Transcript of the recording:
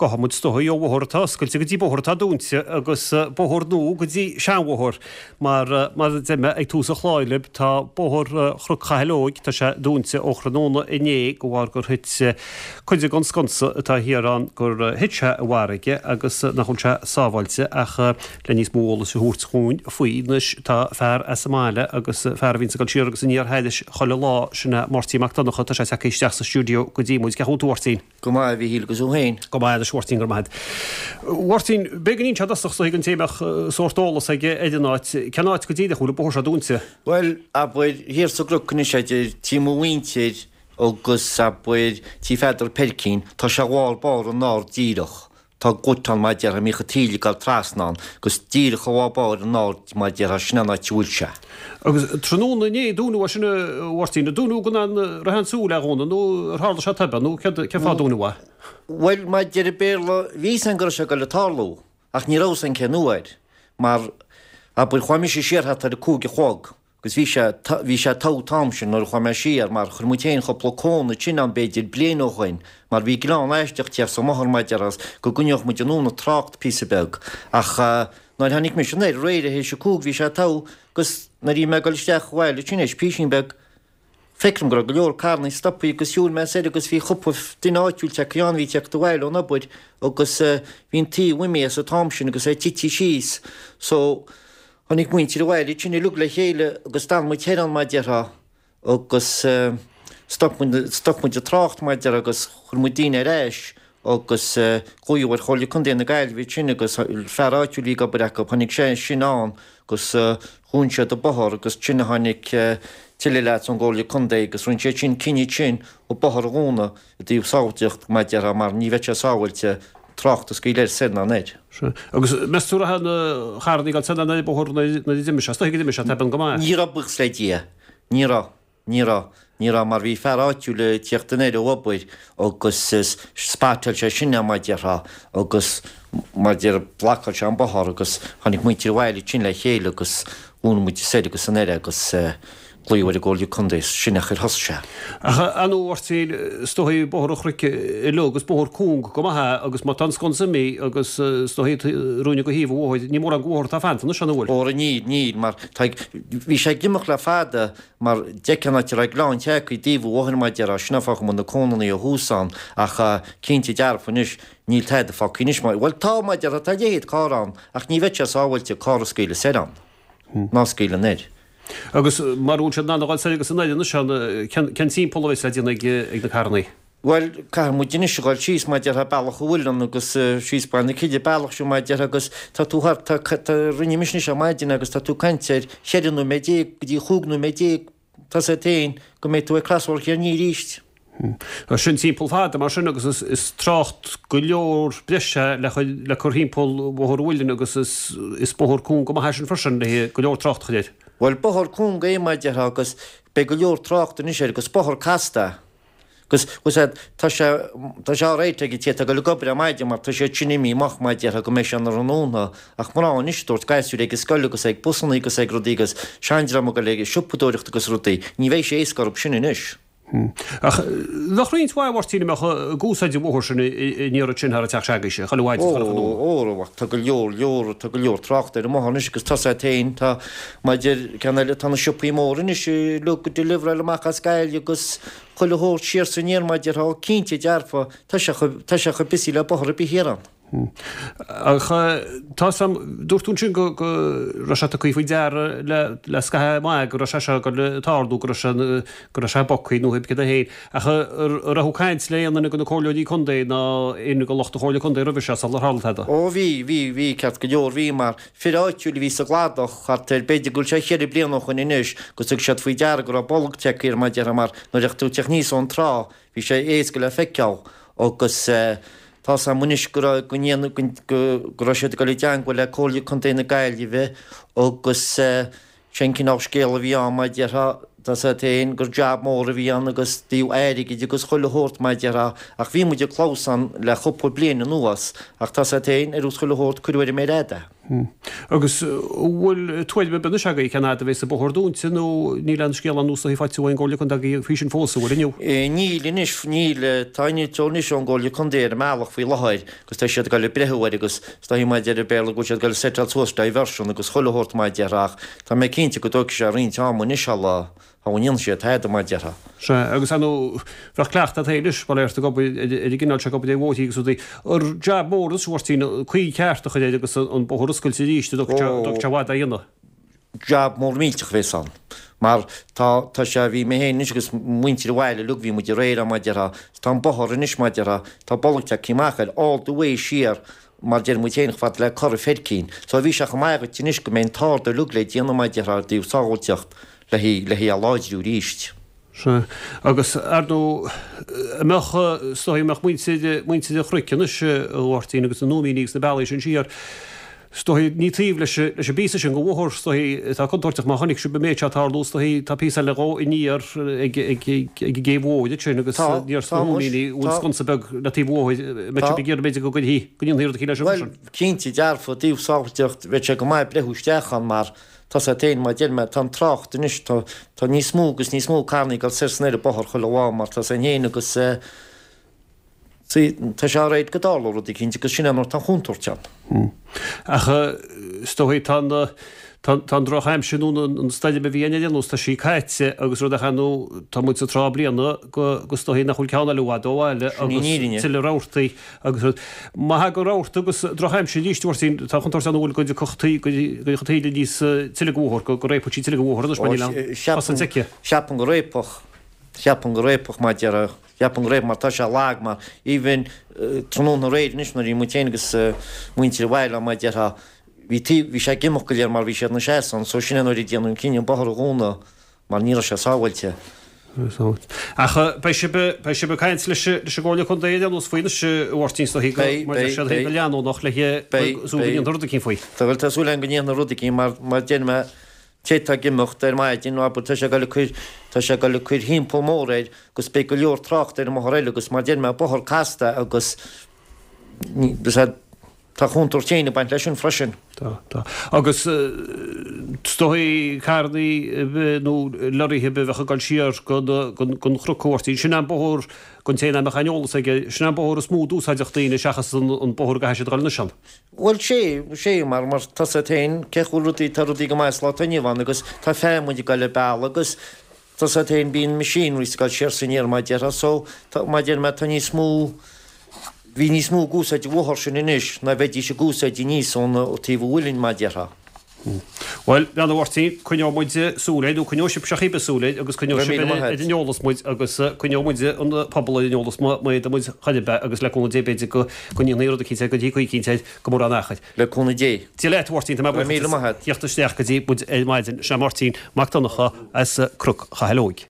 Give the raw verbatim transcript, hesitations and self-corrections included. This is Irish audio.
Gabhfaidh muid is dóigh ó bhóthar atá oscailte go dtí bóthar atá dúnta agus bóthar nua go dtí seanbhóthar. Mar mar a deir mé ag tús an chláir libh, tá bóthar Chnoc Chathail Óig, tá sé dúnta ó thráthnóna inné de bharr gur thit cuid den sconsa atá thiar ann, gur thit sé i bhfarraige agus nach bhfuil sé sábháilte ach le níos mó eolais a thabhairt dhúinn faoi anois tá fear as an mbaile agus fear a bhíonns ag dul siar agus aniar thairis chuile lá, sin é Máirtín Mac Donncha, tá sé tagtha isteach sa stiúideo go dtí muid. Cén chaoi a bhfuil tú a Mháirtín? Go maith, a Mhíchíl, agus thú féin? Go maith anois a Mháirtín, go raibh maith agat. Mháirtín, b'fhéidir go n-inseofá i dtosach is dóigh don té a mbeadh sórt eolas aige ar an áit, cén áit go díreach a bhfuil an bóthar seo dúnta? Bhuel, abair, thiar sa gcnoc anois idir tí mo mhuintir agus, abair, tí Pheadar Peircín, tá sé lár báire an ard díreach. Tá gut ann mar a déarfá, a mbíodh an taoille ag dul trasna ann, agus díreach i lár báire an aird mar a déarfá, sin an áit a bhfuil sé. Agus tráthnóna inné a dúnadh é sin a Mháirtín, a dúnadh gan aon raibh aon súil le dhúnadh nó ar tharla sé tobann nó céard, cén fáth a dúnadh é? Bhuel, mar a deir an Béarla, bhí fhios againn go raibh sé ag dul ag tarlú, ach ní raibh fhios againn cén uair, mar, abair, chuaigh mise siar thart ar a cúig a chlog, Agus bhí sé, bhí sé togha an t-am sin nuair a chuaigh mé siar mar chuir muid féin cúpla cón ansin ann b'fhéidir bliain ó shoin mar bhí gleann aisteach thiar sa mbóthar mar a déarfá agus go gcoinneodh muid anonn an trácht píosa beag ach nuair a tháinig mise anoir aréir théis a cúig bhí sé togha agus nuair a bhí mé ag dul isteach abhaile ansin théis písín beag feicim go raibh go leor carrannaí stopthaí agus shiúil mé soir agus bhí cúpla duine áitiúil tagtha ann bhí ag teacht abhaile ón obair agus bhí an taobh imithe as an t-am sin agus é tite síos so Tháinig muintir an bhaile ansin uilig le chéile agus d'fhan muid thoir ann mar a déarfá agus stop muid, stop muid an trácht mar a déarfá agus chuir muid daoine ar ais agus glaodh ar Chomhairle Contae na Gaillimhe ansin agus fear áitiúil a bhí ag obair acu, tháinig sé sin ann agus dhún siad an bóthar agus ansin a tháinig tuilleadh leaids ón gComhairle Contae agus rinne siad sin cinneadh ansin an bóthar a dhúnadh i dtaobh sábháilteacht mar a déarfá mar ní bheadh sé sábháilte trácht a scaoileadh soir ná anoir. Sea. Agus meas tú raibh na carrannaí ag dul soir ná anoir an bóthar nuair a d'imigh sé? Is dóigh go d'imigh sé, tobann go maith. Ní raibh, buíochas le Dia. Ní raibh. Ní raibh. Ní raibh mar bhí fear áitiúil ag tíocht anoir ó obair agus spotáil sé sin é mar a déarfá agus mar a déarfá bhlocáil sé an bóthar agus tháinig muintir an bhaile ansin le chéile agus dhún muid soir agus anoir é agus glaodh ar an gComhairle Contae, sin an chaoi ar thosaigh sé. Ach ar ndóigh a Mháirtín, is dóigh Bóthar an Chnoic uilig, is bóthar cúng go maith é agus má tá an sconsa imithe agus is dóigh ruainne go thaobh an bhóthair, ní mórán de bhóthar atá fanta anois, an bhfuil? Óra níl, níl, mar tá, bhí sé ag imeacht le fada mar d'fheicfeá an áit a raibh gleann tagtha i dtaobh an bhóthair mar a déarfá, sin an fáth go mbíonn na cónannaí ó thús ann ach cinnte dearfa anois níl tada fágtha anois mar, bhuel tá mar a déarfá, tá leithéid carr ann ach ní bheadh sé sábháilte carr a scaoileadh soir ann ná scaoileadh anoir. Agus mara bhfuil siad in ann a dhul soir agus anoir anois ann, cén timpeall a bheas le déanamh ag na carrannaí? Bhuel, caithfidh muid anois a dhul síos mar a déarfá bealach an Mhuilinn agus síos Baile na Cille, bealach seo mar a déarfá agus tá tú thart, tá, tá, rinne mise anois ar maidin agus tá tú ag caint ar cheithre nóiméad déag go dtí chúig nóiméad déag, tá a fhios agat féin go mbeidh tú ag crosbhóthar Chill Chainnigh arís. Sin timpeall fada mar sin agus is trácht go leor breise le le cur thimpeall Bhóthar an Mhuilinn agus is bóthar cúng go maith é sin freisin le go leor trácht a chur air. Bhuel, bóthar cúng é mar a déarfá agus beidh go leor trácht anois air agus bóthar casta é. Agus, bhfuil a fhios agat, tá sé, tá sé alright ag an té atá ag dul ag obair ar maidin mar tá siad sin imithe amach mar a déarfá go mbeidh sé ina thráthnóna ach mná anois ag tabhairt gasúir ag an scoil agus ag busannaí agus ag rudaí agus seandream ag dul ag siopadóireacht agus rudaí, ní bheidh sé éasca orthu sin anois. Ach bheadh roinnt mhaith, a Mháirtín, a mbeadh ag úsáid an bhóthair sin an iarraidh sin thar an teach s'agaibhse, chuile mhaidin is chuile thráthnóna. Ó, ó, tá go leor, leor, tá go leor tráchta ar an mbóthar anois agus tá a fhios agat féin, tá, maidir, ceann eile, tá na siopaí móra anois uilig ag deliveráil amach as Gaillimh agus chuile shórt siar is aniar mar a déarfá, cinnte dearfa, tá sé chomh, tá sé chomh busy le bóthar ar bith thiar ann. Ach tá 'fhios a'm, dúirt tú ansin go raibh sé tugtha faoi deara le scaitheamh maith go raibh sé seo ag dul ag tarlú, go raibh sé go raibh sé bogtha nó pé cad é féin. Ach an raibh tú ag caint le aon duine de na comhairleoirí contae ná aon de lucht an Chomhairle Contae roimhe seo sular tharla tada? Ó bhí, bhí, bhí, ceart go leor, bhí mar fir áitiúil a bhí sa gcladach thart ar, b'fhéidir go bhfuil sé cheithre bliana ó shoin anois, agus thug siad faoi deara go raibh bolg tagtha air mar a déarfá mar nuair a bheadh tú ag teacht aníos ón trá bhí sé éasca le feiceáil agus eh, Tá 'fhios a'm anois go raibh, go ndéanadh, go, go raibh siad ag dul i dteangmháil le Comhairle Contae na Gaillimhe agus sé an cineál scéal a bhí ann mar a déarfá, tá 'fhios agat féin gur jab mór a bhí ann agus i dtaobh airgid agus chuile shórt mar a déarfá ach bhí muid ag clamhsán le chúpla bliain anuas ach tá 'fhios agat féin ar nós chuile shórt cuireadh ar an méar fhada é. Agus an bhfuil tuairim ar bith anois agaibh cén fhad a bheas an bóthar dúnta nó níl aon scéal anuas a faighte ón gComhairle Contae agaibh faoi sin fós, an bhfuil inniu? Níl anois, níl. Tá innealtóir anois ón gComhairle Contae ar an mbealach faoi láthair agus tá siad ag dul ag breathnú air agus is dóichí mar a deir an Béarla go bhfuil siad ag dul ag seiteáil suas diversion agus chuile shórt mar a déarfá ach tá mé cinnte go dtógfaidh sé roinnt ama anois sula Thá an ndéanfaidh sé tada mar a déarfá. Sea, agus ar ndóigh, bheadh cleachtadh agat anois, bail ort, ag obair ar an gcineál seo, ag obair ar bhóithrí agus rudaí. Ar jab mór anois, a Mháirtín, caoi cheart a chur air agus an bóthar a oscailt arís, an dtógfaidh sé i bhfad é a dhéanamh? Jab mór millteach a bhéas ann. Mar tá, tá sé, bhí mé féin anois agus muintir an bhaile uilig, bhí muid aréir ann mar a déarfá, tá an bóthar anois mar a déarfá, tá bolg tagtha amach air all the way siar mar a deir muid féin, chomh fada le Cora Feircín. So bhí sé chomh maith agat anois go mbeidh an t-ard uilig le déanamh mar a déarfá i dtaobh sábháilteacht. le hí a láidriú arís. Sea. Agus, ar ndóigh, an mbeadh, is dóigh, an mbeadh muintir, muintir an Chnoic anois, a Mháirtín, agus na Nóimíní agus na bealaí sin siar, is dóigh, ní taobh leis, leis an bpíosa sin de bhóthar, is dóigh, atá contúirteach má chonaic sibh an méid seo ag tarlú, is dóigh, tá píosa eile dhó aniar ag, ag, ag, ag an gcéibh mhór ansin agus Tá, aniar sna tá muis, Nóimíní, bhfuil tá. sconsa beag le taobh an bhóthair, an mbeidh Tá. sibh ag iarraidh b'fhéidir go gcuirfí, go ndéanfaí rud eicínt leis Bhuel, sin? cinnte dearfa, i dtaobh sábháilteacht, bheadh sé go maith breathnú isteach ann mar Tá 's a't fhéin, mar deir mé, tá an trácht anois, tá, tá níos mó agus níos mó carrannaí ag dul soir 's anoir an bóthar chuile lá mar tá 's a'inn fhéin agus eh, see, tá sé réidh go dtarlódh rud eicínt agus sin é nuair atá an chontúirt ann. Ach eh, is dóigh tá an, tá, tá an drochaimsir nó an, an stoirm a bhí ann ar aon nós, tá sí caite agus rud ach ar ndóigh tá muid sa tráth bliana go, go is dóigh nach bhfuil ceann eile i bhfad ó bhaile Sin í an agus fhírinne. tuilleadh rabhartaí agus rud. Má thagann rabharta agus drochaimsir arís, a Mháirtín, tá an chontúirt ann an bhfuil go dtiocfadh taoille níos tille den bhóthar, go réabfadh sí tuilleadh den bhóthar anois mar níl aon chosaint aici. Ceapaim go réabfadh, ceapaim go réabfadh mar a déarfá, ceapaim go réabfadh mar tá sé lag mar even tráthnóna aréir anois nuair a bhí muid féin agus muintir an bhaile mar a déarfá, bhí taobh, bhí sé ag imeacht go léir mar bhí siad ina seasamh ann so sin é nuair a déanadh an cinneadh an bóthar a dhúnadh mar ní raibh sé sábháilte. Ach beidh sibh, beidh sibh ag caint leis, leis an gComhairle Contae ar aon nós faoi anois, a Mháirtín, is dóigh go, Beidh, mar deir beidh, siad féin, beidh. go leanúnach le, Beidh, súil go beidh. ndéanfar rud eicínt faoi. Tá, bhuel, tá súil againn go ndéanfar rud eicínt mar, mar deir mé, té atá ag imeacht ar maidin, abair, tá sé ag dul ag cur, tá sé ag dul ag cur thimpeall mór air agus beidh go leor tráchta ar an mbóthar eile agus mar deir mé, bóthar casta agus ní, Tá contúirt féin ag baint leis sin freisin. Tá, tá. Agus is dóigh carrannaí nó lorraithe a bheadh ag dul siar gon Chnoc, a Mháirtín. Sin an bóthar, don té nach mbeadh aon eolas aige, sin an bóthar is mó d'úsáideadh daoine seachas an bóthar a gcaithfidh siad a dhul anois ann. Bhuel, sé, sé, mar, mar tá 's a't féin, cé go bhfuil rudaí, tá rudaí go maith sa lá atá inniu ann agus tá feamainn ag dul an bealach agus tá 's a't féin, bíonn machinery ag dul siar 's aniar mar a déarfá so, tá, mar a deir mé, tá níos mó, Bhí níos mó ag úsáid an bhóthar sin anois ná bheidís ag úsáid aníos ón taobh an mhuilinn, mar a déarfá. Bhuel, a Mháirtín, coinneoidh muid súil air, nó coinneoidh sibhse cibé súil air, agus coinneoidh sibh ar an eolas muid, agus coinneoidh muid an pobal ar an eolas má fhéadann muid chor ar bith, agus le cúnamh Dé b'fhéidir go ndéanfaí rud eicínt air, go dtí caoi eicínt air go mórán achair. Le cúnamh Dé. Dia leat, a Mháirtín, tá mé buíoch as theacht isteach go dtí muid ar maidin. Sin é Máirtín Mac Donncha as Cnoc Chathail Óig.